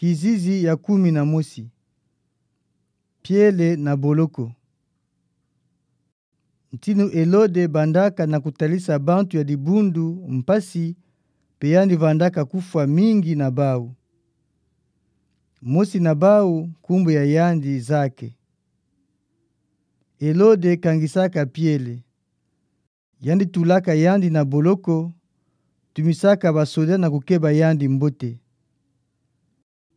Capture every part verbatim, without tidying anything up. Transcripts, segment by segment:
Kizizi ya kumi na mosi. Piele na boloko. Ntinu Elode bandaka na kutalisa bantu ya dibundu mpasi, pe yandi vandaka kufwa mingi na bau. Mosi na bau, nkumbu ya yandi Zake. Elode kangisaka Piele. Yandi tulaka yandi na boloko, tumisaka basoda na kukeba yandi mbote.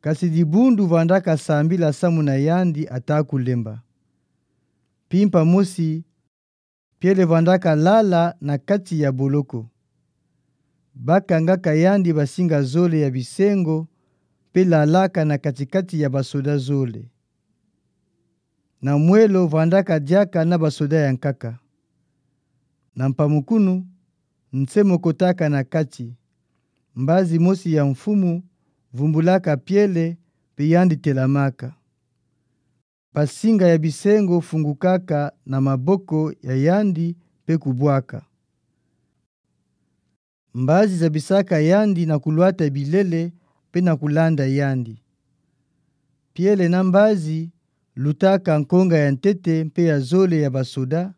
Kasi dibundu vandaka sambila samu na yandi ata kulemba. Mpimpa mosi, Piele vandaka lala na kati ya boloko. Bakangaka yandi basinga zole ya bisengo, pe lalaka na kati-kati ya basoda zole. Na mwelo vandaka diaka na basoda ya nkaka. Na mpamukunu, nse mokotaka na kati. Mbazi mosi ya mfumu vumbulaka Piele, pe yandi telamaka. Basinga ya bisengo fungukaka na maboko ya yandi pe kubwaka. Mbazi zabisaka yandi na kulwata bilele pe na kulanda yandi. Piele na mbazi lutaka nkonga ya ntete mpe ya zole ya basoda.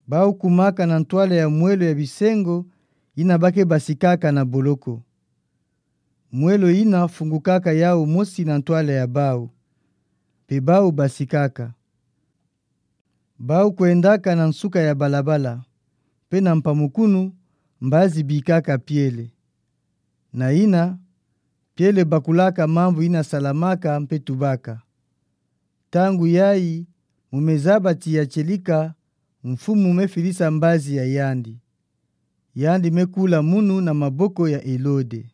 Bau kumaka na ntwala ya mwelo ya bisengo yina ba ke basikaka na boloko. Mwelo yina fungukaka yau mosi na ntwala ya bau. Pe bau basikaka. Bau kwendaka na nsuka ya balabala. Pe na mpamukunu, mbazi bikaka Piele. Na yina, Piele bakulaka mambu yina salamaka mpe tubaka. Ntangu yayi, mu mezabati ya tielika, mfumu mefilisa mbazi ya yandi. Yandi mekula munu na maboko ya Elode.